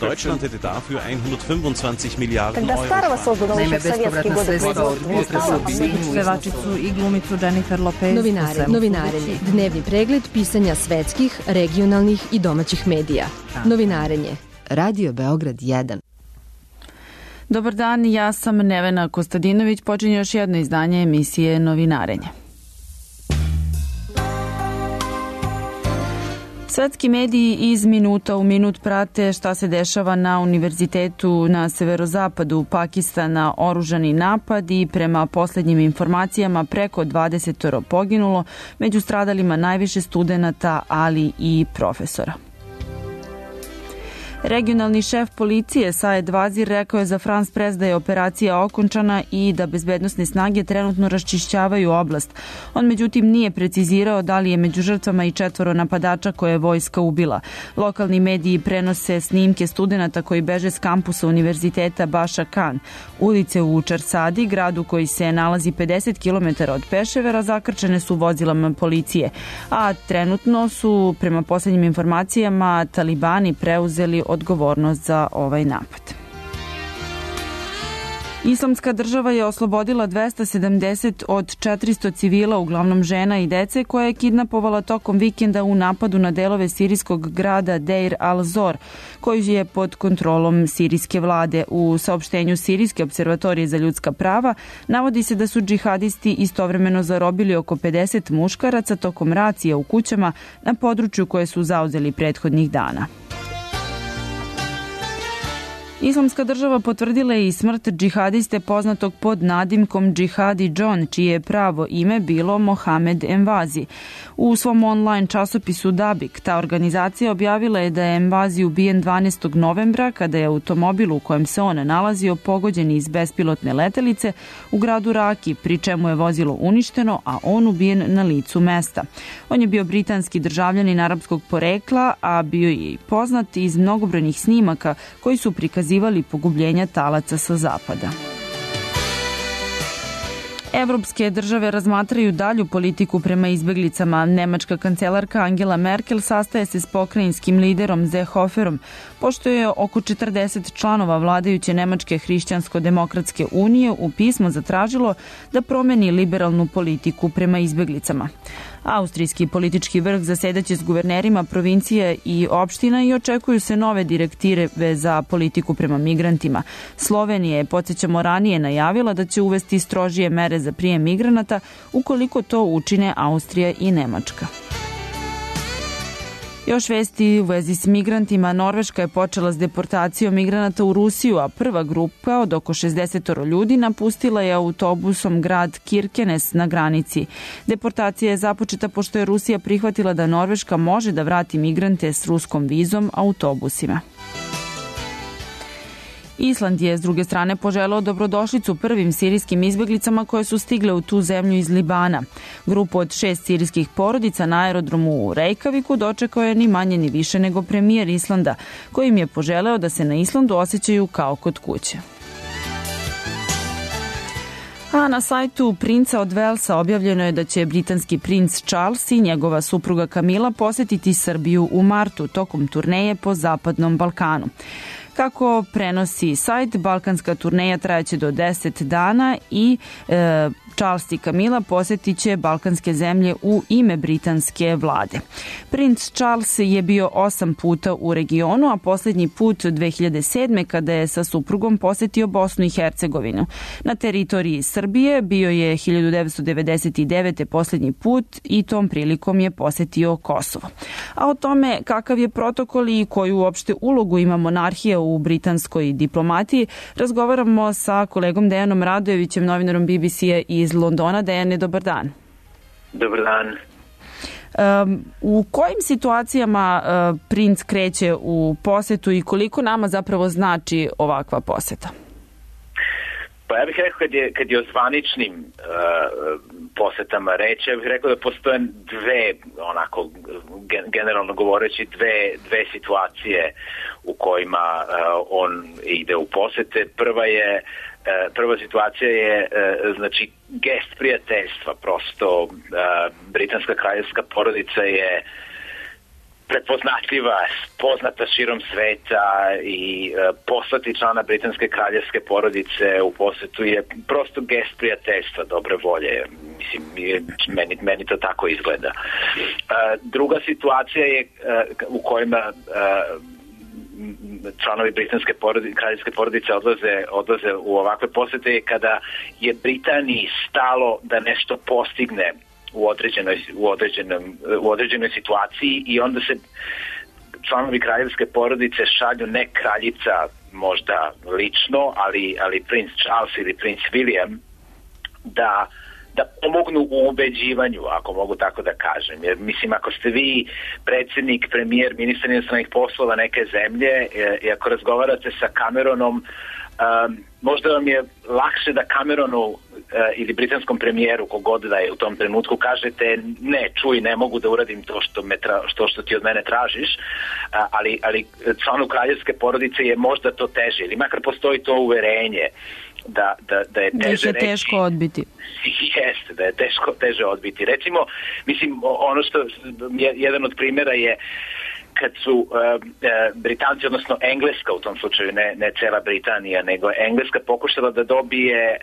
Deutschland hätte dafür 125 Miliarden Euro. Naime, bespovratna sredstva od potresa u Sinju. Pevačicu i glumicu Jennifer Lopez. Novinarenje. Dnevni pregled pisanja svetskih, regionalnih i domaćih medija. Novinarenje. Radio Beograd 1. Dobar dan, ja sam Nevena Kostadinović. Počinje još jedno izdanje emisije Novinarenje. Svetski mediji iz minuta u minut prate šta se dešava na univerzitetu na severozapadu Pakistana, oružani napad i prema poslednjim informacijama preko 20 poginulo, među stradalima najviše studenata, ali i profesora. Regionalni šef policije Saed Vazir rekao je za France Press da je operacija okončana i da bezbednosne snage trenutno raščišćavaju oblast. On međutim nije precizirao da li je među žrtvama i 4 napadača koje je vojska ubila. Lokalni mediji prenose snimke studenata koji beže s kampusa univerziteta Baša Khan. Ulice u Čarsadi, gradu koji se nalazi 50 km od Peševera, zakrčene su vozilama policije. A trenutno su, prema poslednjim informacijama, talibani preuzeli odgovornost za ovaj napad. Islamska država je oslobodila 270 od 400 civila, uglavnom žena i dece, koje je kidnapovala tokom vikenda u napadu na delove sirijskog grada Deir al-Zor, koji je pod kontrolom sirijske vlade. U saopštenju Sirijske observatorije za ljudska prava navodi se da su džihadisti istovremeno zarobili oko 50 muškaraca tokom racija u kućama na području koje su zauzeli prethodnih dana. Islamska država potvrdila je i smrt džihadiste poznatog pod nadimkom Džihadi John, čije je pravo ime bilo Mohamed Envazi. U svom online časopisu Dabik ta organizacija objavila je da je Envazi ubijen 12. novembra kada je automobil u kojem se on nalazio pogođen iz bespilotne letelice u gradu Raki, pri čemu je vozilo uništeno, a on ubijen na licu mesta. On je bio britanski državljanin arapskog porekla, a bio je i poznat iz mnogobrojnih snimaka koji su prikazivali pogubljenja talaca sa zapada. Evropske države razmatraju dalju politiku prema izbeglicama. Nemačka kancelarka Angela Merkel sastaje se s pokrajinskim liderom Seehoferom, pošto je oko 40 članova vladajuće Nemačke hrišćansko-demokratske unije u pismo zatražilo da promeni liberalnu politiku prema izbeglicama. Austrijski politički vrh zasedaće s guvernerima provincije i opština i očekuju se nove direktive za politiku prema migrantima. Slovenija je, podsjećamo, ranije najavila da će uvesti strožije mere za prijem migranata ukoliko to učine Austrija i Nemačka. Još vesti u vezi s migrantima. Norveška je počela s deportacijom migranata u Rusiju, a prva grupa od oko 60 ljudi napustila je autobusom grad Kirkenes na granici. Deportacija je započeta pošto je Rusija prihvatila da Norveška može da vrati migrante s ruskom vizom autobusima. Island je s druge strane poželeo dobrodošlicu prvim sirijskim izbeglicama koje su stigle u tu zemlju iz Libana. Grupu od 6 sirijskih porodica na aerodromu u Reykjaviku dočekao je ni manje ni više nego premijer Islanda, koji im je poželeo da se na Islandu osjećaju kao kod kuće. A na sajtu Princa od Velsa objavljeno je da će britanski princ Charles i njegova supruga Camilla posetiti Srbiju u martu tokom turneje po Zapadnom Balkanu. Kako prenosi sajt, balkanska turneja trajaće do 10 dana i Charles i Camilla posjetit će balkanske zemlje u ime britanske vlade. Princ Charles je bio 8 puta u regionu, a posljednji put 2007. kada je sa suprugom posjetio Bosnu i Hercegovinu. Na teritoriji Srbije bio je 1999. posljednji put i tom prilikom je posjetio Kosovo. A o tome kakav je protokol i koju uopšte ulogu ima monarhija u britanskoj diplomatiji razgovaramo sa kolegom Dejanom Radojevićem, novinarom BBC-a iz Londona. Dejane, dobar dan. Dobar dan. U kojim situacijama princ kreće u posetu i koliko nama zapravo znači ovakva poseta? Pa ja bih rekao kad je o zvaničnim posetama reći, ja bih rekao da postoje dve, onako generalno govoreći, dve situacije u kojima on ide u posete. Prva situacija je znači gest prijateljstva, prosto britanska kraljevska porodica je prepoznatljiva, poznata širom sveta i poslati člana britanske kraljevske porodice u posetu je prosto gest prijateljstva, dobre volje. Mislim, meni to tako izgleda. Druga situacija je u kojima članovi britanske kraljevske porodice odlaze u ovakve posete je kada je Britaniji stalo da nešto postigne u određenoj situaciji i onda se članovi kraljevske porodice šalju ne kraljica možda lično, ali princ Charles ili princ William da pomognu u ubeđivanju, ako mogu tako da kažem. Jer, mislim, ako ste vi predsjednik, premijer, ministar inostranih poslova neke zemlje i ako razgovarate sa Cameronom, možda vam je lakše da Cameronu ili britanskom premijeru, kogod da je u tom trenutku, kažete ne, čuj, ne mogu da uradim to što ti od mene tražiš, ali članu kraljevske porodice je možda to teže, ili makar postoji to uverenje da je teže reći. Teško odbiti. Jeste, da je teže odbiti. Recimo, mislim, ono što jedan od primjera je kad su Britanci, odnosno Engleska u tom slučaju, ne cela Britanija, nego Engleska pokušala da dobije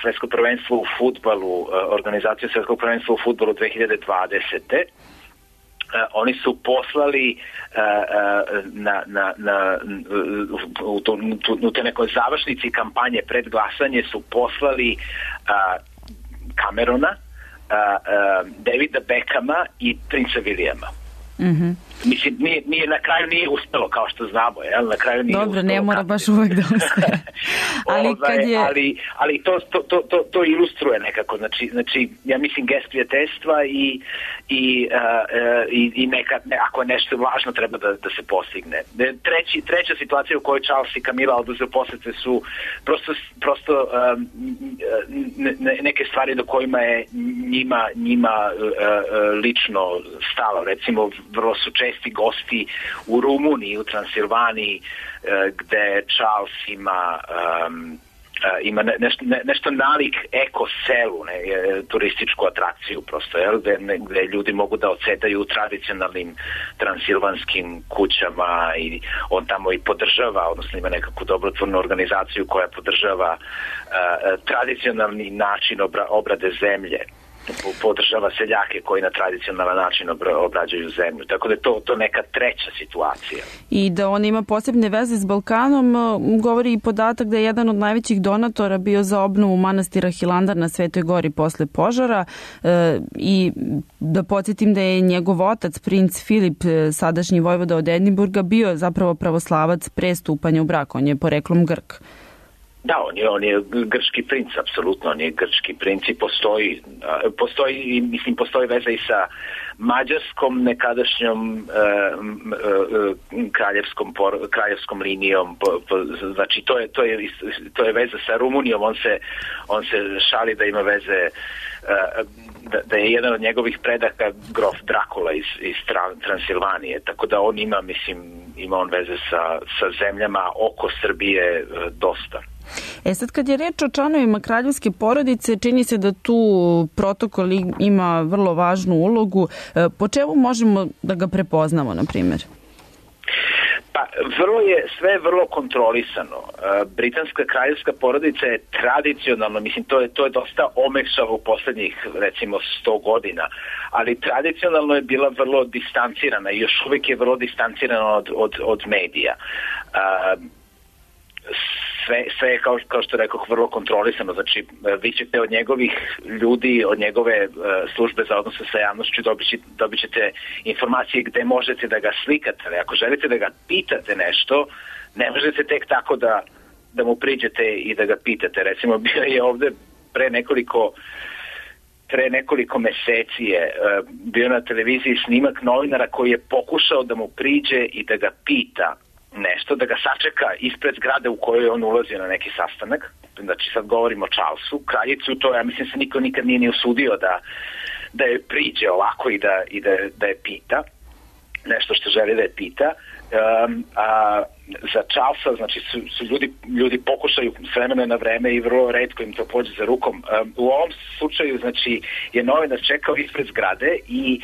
svetsko prvenstvo u fudbalu, organizaciju svetskog prvenstva u fudbalu 2020. Oni su poslali u te nekoj završnici kampanje pred glasanje su poslali Camerona, Davida Beckhama i princa Williama. Mm-hmm. Mislim, na kraju nije uspelo, kao što znamo, jel? Na kraju nije dobro, uspelo. Ne mora baš uvek da uspe. Ali to ilustruje nekako. Znači, ja mislim, gest prijateljstva i neka, ako je nešto važno, treba da se postigne. Treća situacija u kojoj Charles i Camilla odlaze u posete su prosto neke stvari do kojima je njima lično stalo. Recimo, vrlo su česti gosti u Rumuniji, u Transilvaniji, gde Charles ima nešto nalik ekoselu, turističku atrakciju prosto, gde ljudi mogu da odsedaju u tradicionalnim transilvanskim kućama i on tamo i podržava, odnosno ima nekakvu dobrotvornu organizaciju koja podržava tradicionalni način obrade zemlje. Podržava seljake koji na tradicionalan način obrađuju zemlju. Tako da je to neka treća situacija. I da on ima posebne veze s Balkanom, govori i podatak da je jedan od najvećih donatora bio za obnovu manastira Hilandar na Svetoj gori posle požara i da podsjetim da je njegov otac, princ Filip, sadašnji vojvoda od Edinburga, bio zapravo pravoslavac pre stupanja u brak. On je poreklom Grk. Da, on je grčki princ, apsolutno, on je grčki princ i postoji veza i sa mađarskom nekadašnjom kraljevskom linijom, znači to je veza sa Rumunijom, on se šali da ima veze, da je jedan od njegovih predaka grof Drakula iz Transilvanije, tako da on ima on veze sa zemljama oko Srbije dosta. Sad kad je reč o članovima kraljevske porodice, čini se da tu protokol ima vrlo važnu ulogu. Po čemu možemo da ga prepoznamo, na primjer? Pa, sve je vrlo kontrolisano. Britanska kraljevska porodica je tradicionalno, mislim, to je dosta omekšalo u poslednjih, recimo, 100 godina, ali tradicionalno je bila vrlo distancirana i još uvijek je vrlo distancirana od medija. Sve je, kao što rekoh, vrlo kontrolisano. Znači, vi ćete od njegovih ljudi, od njegove službe za odnose sa javnošću dobit ćete informacije gde možete da ga slikate. Ali ako želite da ga pitate nešto, ne možete tek tako da mu priđete i da ga pitate. Recimo, bio je ovde pre nekoliko meseci je bio na televiziji snimak novinara koji je pokušao da mu priđe i da ga pita nešto, da ga sačeka ispred zgrade u kojoj on ulazio na neki sastanak. Znači, sad govorimo o Charlesu, kraljicu, to ja mislim se niko nikad nije ni usudio da je priđe ovako i da je pita nešto što želi da je pita. Za Charlesa, znači, su ljudi pokušaju s vremena na vreme i vrlo retko im to pođe za rukom. U ovom slučaju, znači, je novinar čekao ispred zgrade i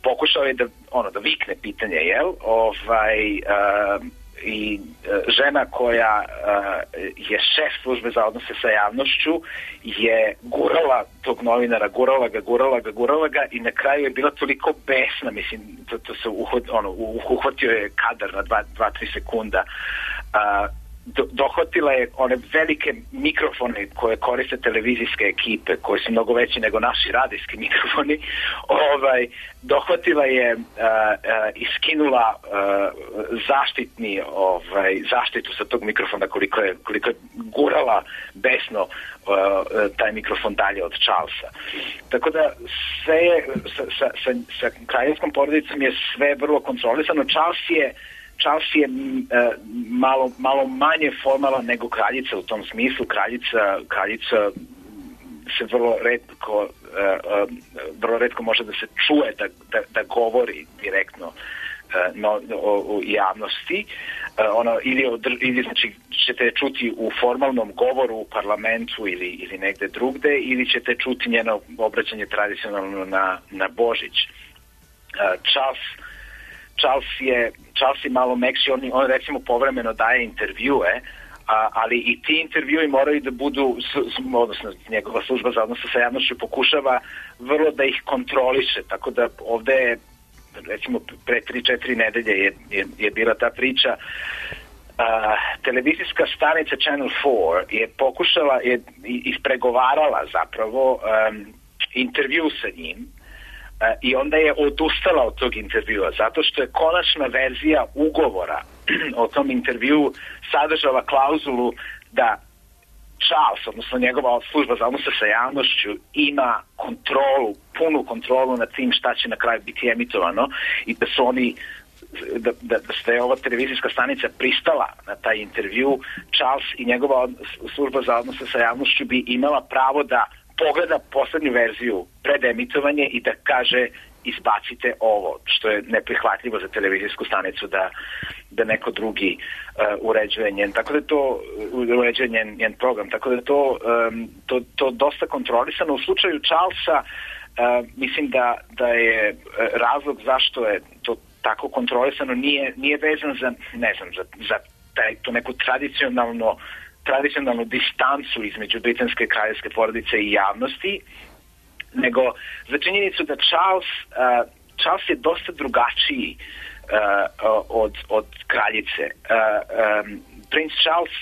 pokušao je da vikne pitanje, jel? I žena koja je šef službe za odnose sa javnošću je gurala tog novinara, gurala ga i na kraju je bila toliko besna, mislim, to se uhvatio je kadar na 2-3 sekunda. Dohvatila je one velike mikrofone koje koriste televizijske ekipe, koji su mnogo veći nego naši radijski mikrofoni. Dohvatila je i skinula zaštitu sa tog mikrofona koliko je gurala besno taj mikrofon dalje od Charlesa. Tako da sve je sa kraljevskom porodicom je sve vrlo kontrolisano. Charles je malo manje formalan nego kraljica u tom smislu. Kraljica se vrlo retko može da se čuje da govori direktno u javnosti. Ili znači ćete čuti u formalnom govoru u parlamentu ili negde drugde, ili ćete čuti njeno obraćanje tradicionalno na Božić. Charles je malo mekši, on recimo povremeno daje intervjue, ali i ti intervjui moraju da budu, odnosno njegova služba za odnose sa javnošću pokušava vrlo da ih kontroliše, tako da ovde je, recimo pre 3-4 nedelje je bila ta priča. Televizijska stanica Channel 4 je pokušala, je ispregovarala zapravo intervju sa njim, i onda je odustala od tog intervjua zato što je konačna verzija ugovora o tom intervju sadržala klauzulu da Charles, odnosno njegova služba za odnose sa javnošću, ima punu kontrolu nad tim šta će na kraju biti emitovano i da su oni da je ova televizijska stanica pristala na taj intervju. Charles i njegova služba za odnose sa javnošću bi imala pravo da pogleda poslednju verziju pred emitovanje i da kaže izbacite ovo, što je neprihvatljivo za televizijsku stanicu da neko drugi uređuje njen, tako da to uređuje njen program, tako da je to dosta kontrolisano. U slučaju Charlesa mislim da je razlog zašto je to tako kontrolisano nije vezan za, ne znam, za tu neku tradicionalnu distancu između britanske kraljevske porodice i javnosti, nego za činjenicu da Charles je dosta drugačiji od kraljice. Prince Charles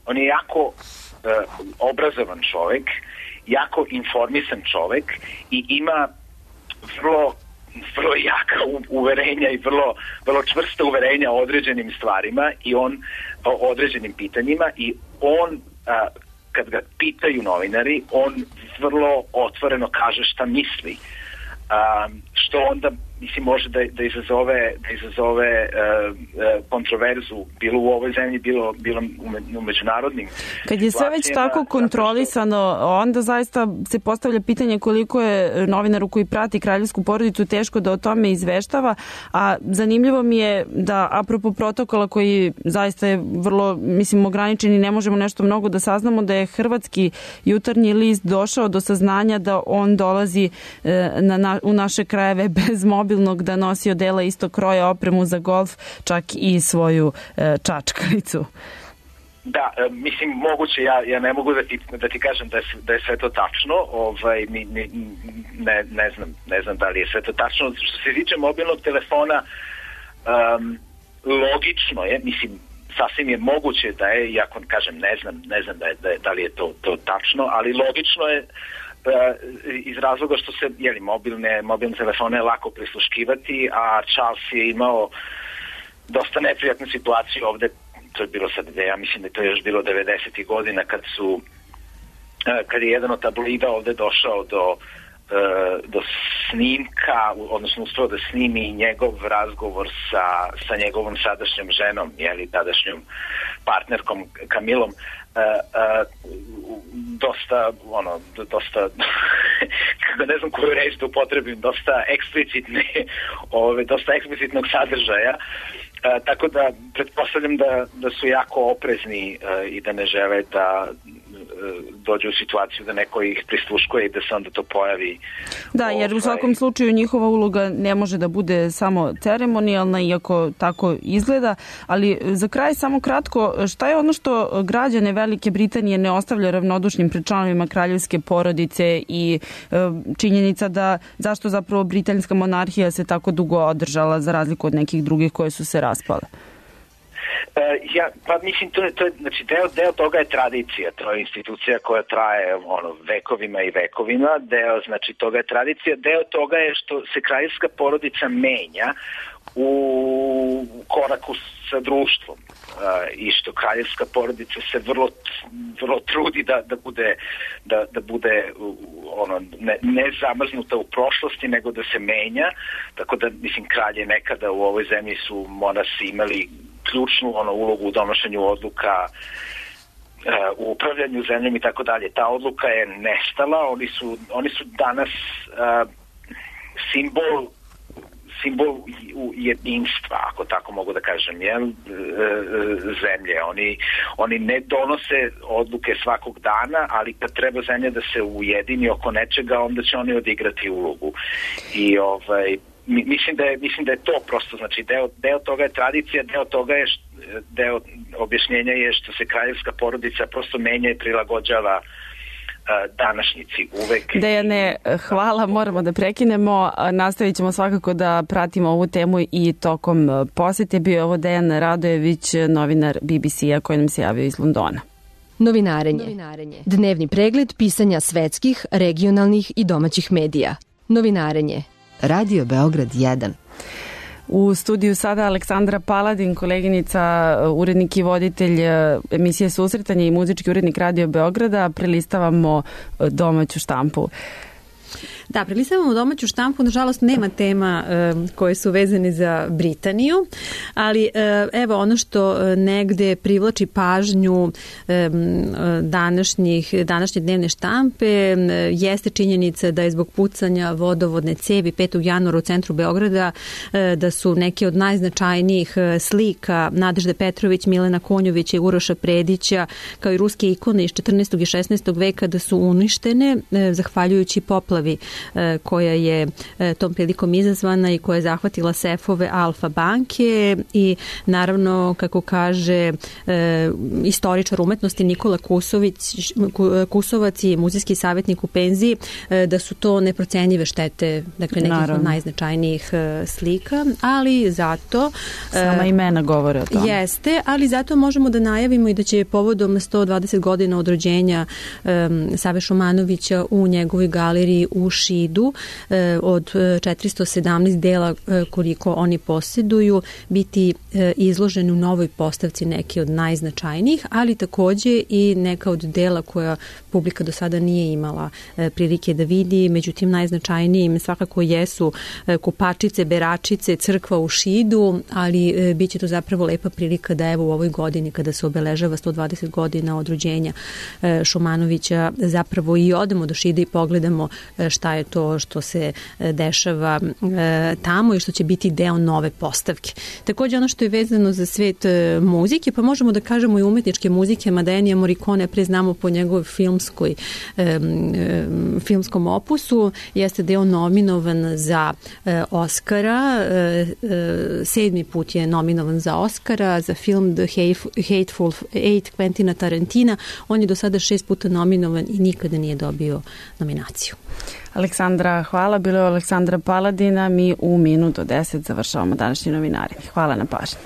on je jako obrazovan čovek, jako informisan čovek i ima vrlo jaka uverenja i vrlo čvrsta uverenja o određenim stvarima i o određenim pitanjima i on, kad ga pitaju novinari, on vrlo otvoreno kaže šta misli, što onda mislim može da izazove kontroverzu bilo u ovoj zemlji, bilo u međunarodnim. Kad je sve već tako kontrolisano, onda zaista se postavlja pitanje koliko je novinaru koji prati kraljevsku porodicu teško da o tome izveštava, a zanimljivo mi je da apropo protokola koji zaista je vrlo, mislim, ograničen i ne možemo nešto mnogo da saznamo, da je hrvatski jutarnji list došao do saznanja da on dolazi u naše krajeve bez mobilnog, da nosi odela istog kroja, opremu za golf, čak i svoju čačkalicu. Da, mislim, moguće, ja ne mogu da ti kažem da je sve to tačno, ne znam da li je sve to tačno. Što se tiče mobilnog telefona, logično je, mislim, sasvim je moguće da je, iako kažem, ne znam da li je to tačno, ali logično je iz razloga što se mobilne telefone je lako prisluškivati, a Charles je imao dosta neprijatnu situaciju ovde. To je bilo sad, ja mislim da je to još bilo 90. godina kad je jedan od tabloida ovde došao do snimka, odnosno uspeo da snimi njegov razgovor sa njegovom sadašnjom ženom, tadašnjom partnerkom Camillom, dosta kako ne znam koju reč da upotrebim, dosta eksplicitnog sadržaja, tako da pretpostavljam da su jako oprezni i da ne žele dođe u situaciju da neko ih prisluškuje i da se onda to pojavi. Da, jer u svakom slučaju njihova uloga ne može da bude samo ceremonijalna, iako tako izgleda, ali za kraj samo kratko, šta je ono što građane Velike Britanije ne ostavlja ravnodušnim pred članovima kraljevske porodice i činjenica da zašto zapravo britanska monarhija se tako dugo održala za razliku od nekih drugih koje su se raspale? Pa mislim, to je znači deo toga je tradicija, to je institucija koja traje vekovima i vekovima, deo znači toga je tradicija, deo toga je što se kraljevska porodica menja u koraku sa društvom i što kraljevska porodica se vrlo trudi da bude ne zamrznuta u prošlosti, nego da se menja, tako da mislim kralje nekada u ovoj zemlji su monasi imali ključnu ulogu u donošenju odluka, u upravljanju zemljom i tako dalje. Ta odluka je nestala, oni su danas simbol jedinstva, ako tako mogu da kažem, zemlje. Oni ne donose odluke svakog dana, ali kad treba zemlja da se ujedini oko nečega, onda će oni odigrati ulogu. I mislim da je to prosto, znači deo toga je tradicija, deo objašnjenja je što se kraljevska porodica prosto menja i prilagođava današnjici uvek. Dejane, hvala, moramo da prekinemo. Nastavit ćemo svakako da pratimo ovu temu i tokom posete. Bio je ovo Dejan Radojević, novinar BBC-a koji nam se javio iz Londona. Novinarenje. Dnevni pregled pisanja svetskih, regionalnih i domaćih medija. Novinarenje. Radio Beograd 1. U studiju sada Aleksandra Paladin, koleginica, urednik i voditelj emisije Susretanje i muzički urednik Radio Beograda. Prelistavamo domaću štampu. Da, prelistavamo domaću štampu, nažalost nema tema koje su vezane za Britaniju, ali evo ono što negde privlači pažnju današnje dnevne štampe jeste činjenica da je zbog pucanja vodovodne cevi 5. januara u centru Beograda da su neke od najznačajnijih slika Nadežde Petrović, Milena Konjovića i Uroša Predića kao i ruske ikone iz 14. i 16. veka da su uništene zahvaljujući poplavi koja je tom prilikom izazvana i koja je zahvatila sefove Alfa banke i naravno, kako kaže istoričar umetnosti Nikola Kusovac i muzejski savjetnik u penziji, da su to neprocenjive štete, dakle nekih od najznačajnijih slika, ali zato... Sama imena govore o tome. Jeste, ali zato možemo da najavimo i da će povodom 120 godina od rođenja Save Šumanovića u njegovoj galeriji u Šidu od 417 dela koliko oni posjeduju biti izloženi u novoj postavci neke od najznačajnijih, ali takođe i neka od dela koja publika do sada nije imala prilike da vidi. Međutim, najznačajnijim svakako jesu Kopačice, Beračice, crkva u Šidu, ali bit će to zapravo lepa prilika da evo u ovoj godini kada se obeležava 120 godina od rođenja Šumanovića zapravo i odemo do Šida i pogledamo šta je to što se dešava tamo i što će biti deo nove postavke. Takođe ono što je vezano za svet muzike, pa možemo da kažemo i umetničke muzike, mada Ennio Morricone pre znamo po njegovoj filmskom opusu, jeste da je on nominovan za Oscara, 7. put je nominovan za Oscara, za film The Hateful Eight Quentina Tarantina. On je do sada 6 puta nominovan i nikada nije dobio nominaciju. Aleksandra, hvala. Bilo je Aleksandra Paladina. Mi u minut do 10 završavamo današnji novinari. Hvala na pažnji.